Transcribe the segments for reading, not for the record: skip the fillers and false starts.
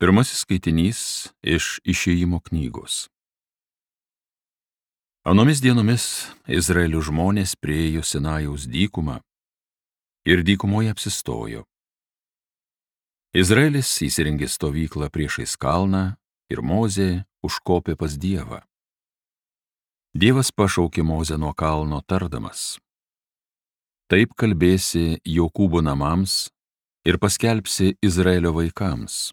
Pirmasis skaitinys iš Išėjimo knygos. Anomis dienomis Izraelio žmonės priėjo Sinajaus dykumą ir dykumoje apsistojo. Izraelis įsirengė stovyklą priešais kalną ir Mozė užkopė pas Dievą. Dievas pašaukė Mozę nuo kalno tardamas: Taip kalbėsi Jokūbo namams ir paskelbsi Izraelio vaikams.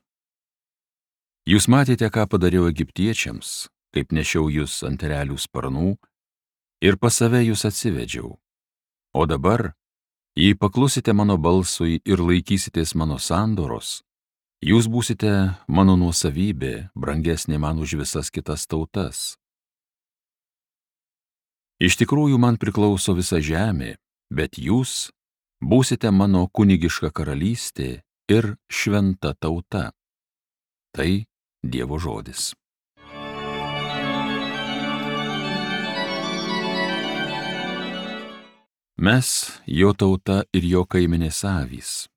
Jūs matėte, ką padariau egiptiečiams, kaip nešiau jūs ant erelių sparnų ir pas save jūs atsivedžiau. O dabar, jei paklusite mano balsui ir laikysitės mano sandoros, jūs būsite mano nuosavybė, brangesnė man už visas kitas tautas. Iš tikrųjų man priklauso visa žemė, bet jūs būsite mano kunigiška karalystė ir šventa tauta. Tai Dievo žodis. Mes, jo tauta ir jo kaimenės avys.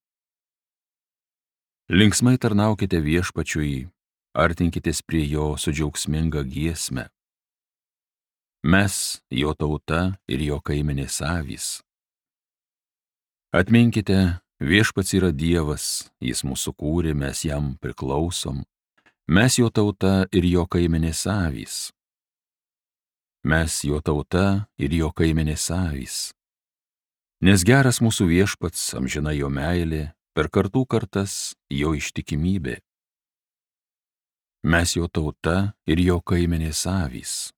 Linksmai tarnaukite viešpačiui, artinkitės prie jo su džiaugsminga giesme. Mes, jo tauta ir jo kaimenės avys. Atminkite, viešpats yra Dievas, jis mūsų kūrė, mes jam priklausom. Mes jo tauta ir jo kaimenės avys. Mes jo tauta ir jo kaimenės avys. Nes geras mūsų viešpats, amžina jo meilė, per kartų kartas jo ištikimybė. Mes jo tauta ir jo kaimenės avys.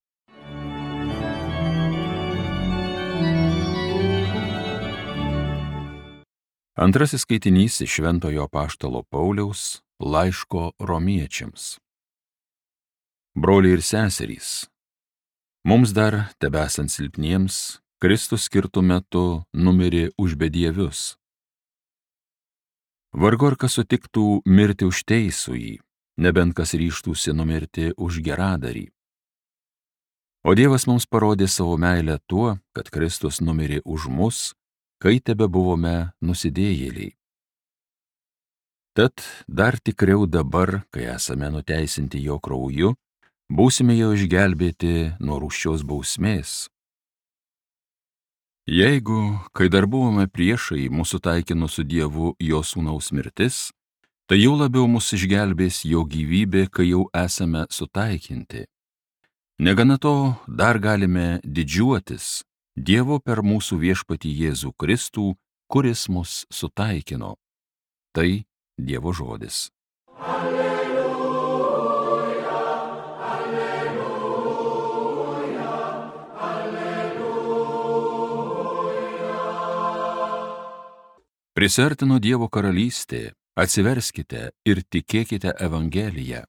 Antrasis skaitinys iš Šventojo apaštalo Pauliaus laiško Romiečiams. Broliai ir seserys, mums dar, tebesant silpniems, Kristus skirtu metu numirė už bedievius. Vargu ar kas sutiktų mirti už teisųjį, nebent kas ryžtųsi numirti už geradarį. O Dievas mums parodė savo meilę tuo, kad Kristus numirė už mus, kai tebebuvome nusidėjėliai. Tad dar tikriau dabar, kai esame nuteisinti jo krauju, būsime jau išgelbėti nuo rūsčios bausmės. Jeigu, kai dar buvome priešai, mūsų taikino su Dievu jo sūnaus mirtis, tai jau labiau mus išgelbės jo gyvybė, kai jau esame sutaikinti. Negana to, dar galime didžiuotis Dievo per mūsų viešpatį Jėzų Kristų, kuris mus sutaikino. Tai Dievo žodis. Alleluja, alleluja, alleluja. Prisiartino Dievo karalystė, atsiverskite ir tikėkite Evangeliją.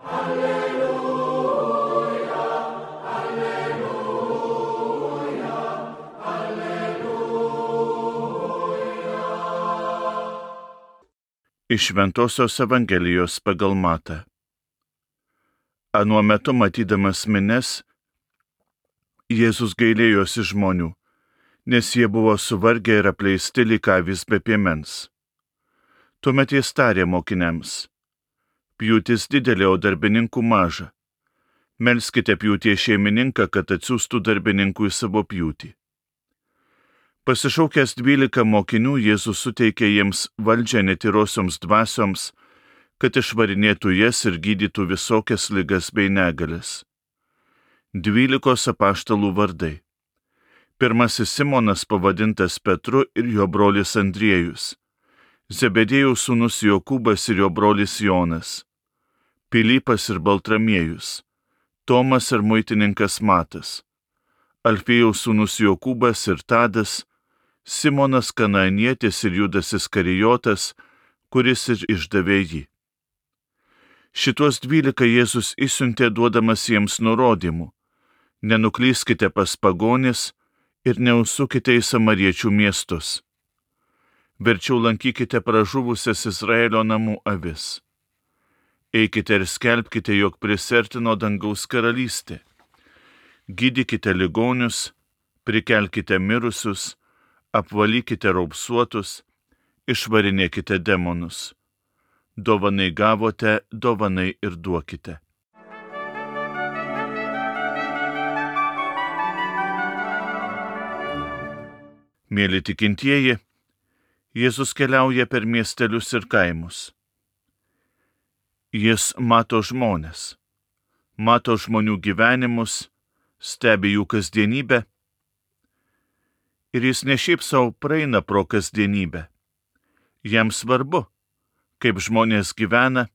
Alleluja, alleluja, alleluja. Iš Šventosios Evangelijos pagal Matą. Anuo metu matydamas minias, Jėzus gailėjosi žmonių, nes jie buvo suvargę ir apleisti lyg avys be piemens. Tuomet jis tarė mokiniams: Pjūtis didelė, o darbininkų maža. Melskite pjūties šeimininką, kad atsiųstų darbininkų į savo pjūtį. Pasišaukęs 12 mokinių, Jėzus suteikė jiems valdžią netyrosioms dvasioms, kad išvarinėtų jas ir gydytų visokias ligas bei negalias. 12 apaštalų vardai. Pirmasis Simonas, pavadintas Petru, ir jo brolis Andriejus. Zebedėjaus sūnus Jokūbas ir jo brolis Jonas. Pilypas ir Baltramiejus. Tomas ir muitininkas Matas. Alfėjaus sūnus Jokūbas ir Tadas. Simonas Kanaanietis ir Judas Iskarijotas, kuris ir išdavė jį. Šitos 12 Jėzus išsiuntė duodamas jiems nurodymų: nenuklyskite pas pagonis ir neužsukite į samariečių miestus. Verčiau lankykite pražuvusias Izraelio namų avis. Eikite ir skelbkite, jog prisiartino dangaus karalystė. Gydykite ligonius, prikelkite mirusius, apvalykite raupsuotus, išvarinėkite demonus. dovanai gavote, dovanai ir duokite. Mėly tikintieji, Jėzus keliauja per miestelius ir kaimus. Jis mato žmones, mato žmonių gyvenimus, stebi jų kasdienybę ir jis ne šiaip savo praeina pro kasdienybę. Jam svarbu, kaip žmonės gyvena.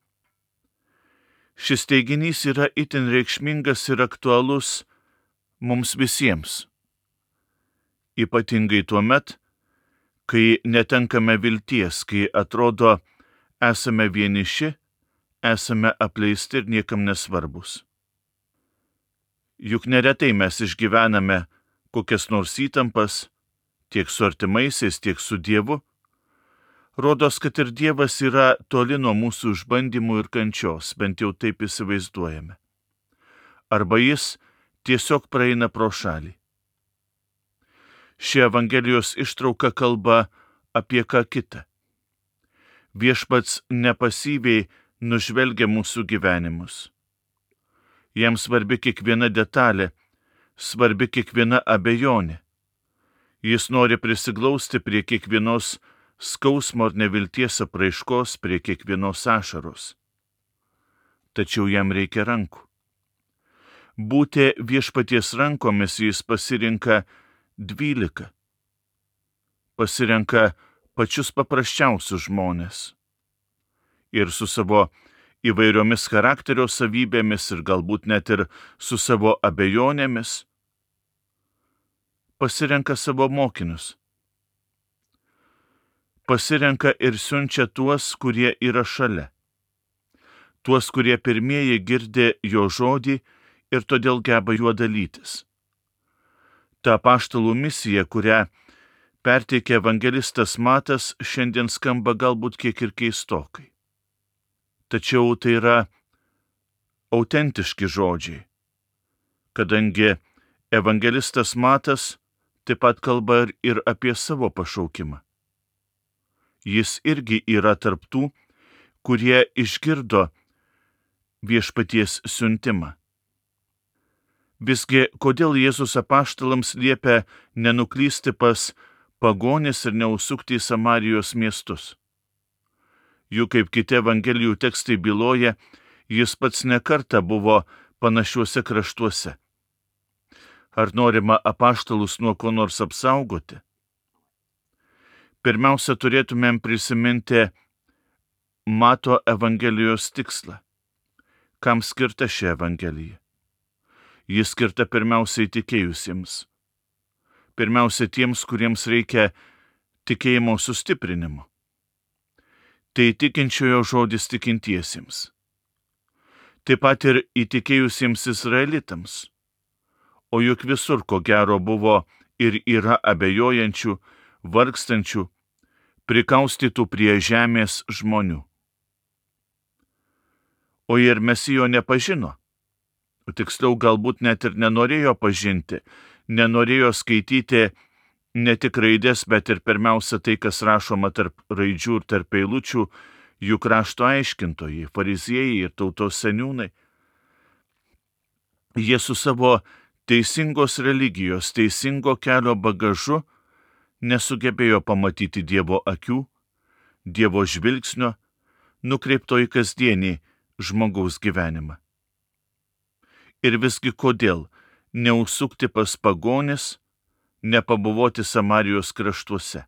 Šis teiginys yra itin reikšmingas ir aktualus mums visiems. Ypatingai tuomet, kai netenkame vilties, kai atrodo esame vieniši, esame apleisti ir niekam nesvarbus. Juk neretai mes išgyvename kokias nors įtampas, tiek su artimaisiais, tiek su Dievu. Rodos, kad ir Dievas yra toli nuo mūsų išbandymų ir kančios, bent jau taip įsivaizduojame. Arba jis tiesiog praeina pro šalį. Ši Evangelijos ištrauka kalba apie ką kitą. Viešpats nepasyviai nužvelgia mūsų gyvenimus. Jam svarbi kiekviena detalė, svarbi kiekviena abejonė. Jis nori prisiglausti prie kiekvienos skausmo ar nevilties apraiškos, prie kiekvienos ašaros. Tačiau jam reikia rankų. Būti viešpaties rankomis jis pasirenka 12. Pasirenka pačius paprasčiausius žmonės. Ir su savo įvairiomis charakterio savybėmis ir galbūt net ir su savo abejonėmis pasirenka savo mokinius. Pasirenka ir siunčia tuos, kurie yra šalia. Tuos, kurie pirmieji girdi jo žodį ir todėl geba juo dalytis. Ta apaštalų misija, kurią perteikė evangelistas Matas, šiandien skamba galbūt kiek ir keistokai. Tačiau tai yra autentiški žodžiai, kadangi evangelistas Matas taip pat kalba ir apie savo pašaukimą. Jis irgi yra tarp tų, kurie išgirdo viešpaties siuntimą. Visgi, kodėl Jėzus apaštalams liepia nenuklysti pas pagonis ir neužsukti į Samarijos miestus? Juk kaip kiti Evangelijų tekstai byloja, jis pats nekartą buvo panašiuose kraštuose. Ar norima apaštalus nuo ko nors apsaugoti? Pirmiausia, turėtumėm prisiminti Mato Evangelijos tikslą. Kam skirta ši Evangelija? Jis skirta pirmiausiai tikėjusiems. Pirmiausia tiems, kuriems reikia tikėjimo sustiprinimo. Tai tikinčiojo žodis tikintiesiems. Taip pat ir įtikėjusiems izraelitams. O juk visur, ko gero, buvo ir yra abejojančių, vargstančių, prikaustytų prie žemės žmonių. O ir Mesijo nepažino. Tiksliau, galbūt net ir nenorėjo pažinti, nenorėjo skaityti ne tik raidės, bet ir pirmiausia tai, kas rašoma tarp raidžių ir tarp eilučių, jų krašto aiškintojai, fariziejai ir tautos seniūnai. Jie su savo teisingos religijos, teisingo kelio bagažu nesugebėjo pamatyti Dievo akių, Dievo žvilgsnio, nukreipto į kasdienį žmogaus gyvenimą. Ir visgi kodėl neužsukti pas pagonis, nepabuvoti Samarijos kraštuose?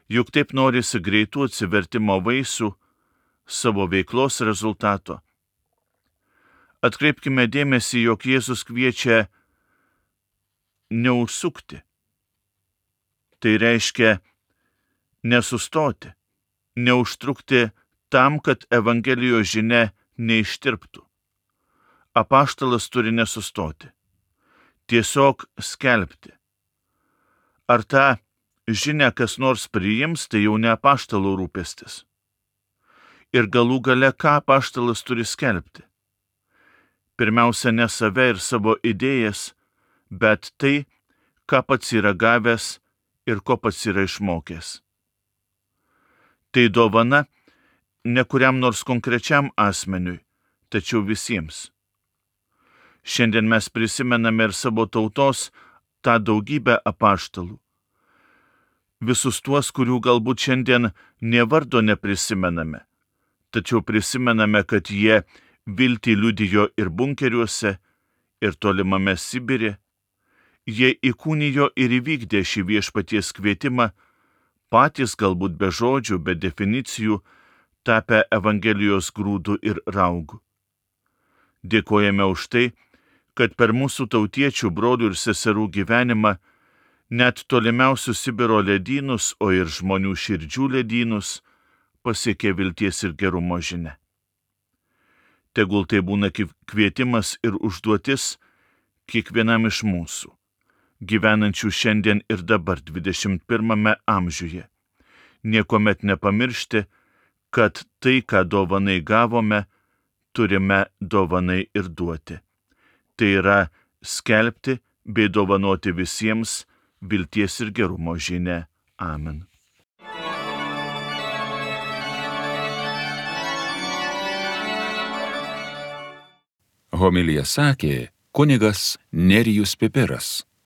Juk taip norisi greitų atsivertimo vaisių, savo veiklos rezultato. Atkreipkime dėmesį, jog Jėzus kviečia neužsukti. Tai reiškia nesustoti, neužtrukti tam, kad Evangelijos žinia neištirptų. Apaštalas turi nesustoti, tiesiog skelbti. Ar tą žinią kas nors priims, tai jau ne apaštalo rūpestis. Ir galų gale, ką apaštalas turi skelbti? Pirmiausia, ne save ir savo idėjas, bet tai, ką pats yra gavęs ir ko pats yra išmokęs. Tai dovana ne kuriam nors konkrečiam asmeniui, tačiau visiems. Šiandien mes prisimename ir savo tautos tą daugybę apaštalų. Visus tuos, kurių galbūt šiandien nė vardo neprisimename, tačiau prisimename, kad jie viltį liudijo ir bunkeriuose, ir tolimame Sibire. Jie įkūnijo ir įvykdė šį viešpaties kvietimą, patys galbūt be žodžių, be definicijų, tapę Evangelijos grūdų ir raugų. Dėkojame už tai, kad per mūsų tautiečių, brolių ir seserų gyvenimą net tolimiausius Sibiro ledynus, o ir žmonių širdžių ledynus pasiekė vilties ir gerumo žinia. Tegul tai būna kvietimas ir užduotis kiekvienam iš mūsų, gyvenančių šiandien ir dabar 21 amžiuje, niekuomet nepamiršti, kad tai, ką dovanai gavome, turime dovanai ir duoti. Tai yra skelbti bei dovanoti visiems vilties ir gerumo žinią. Amen. Homiliją sakė kunigas Nerijus Pipiras.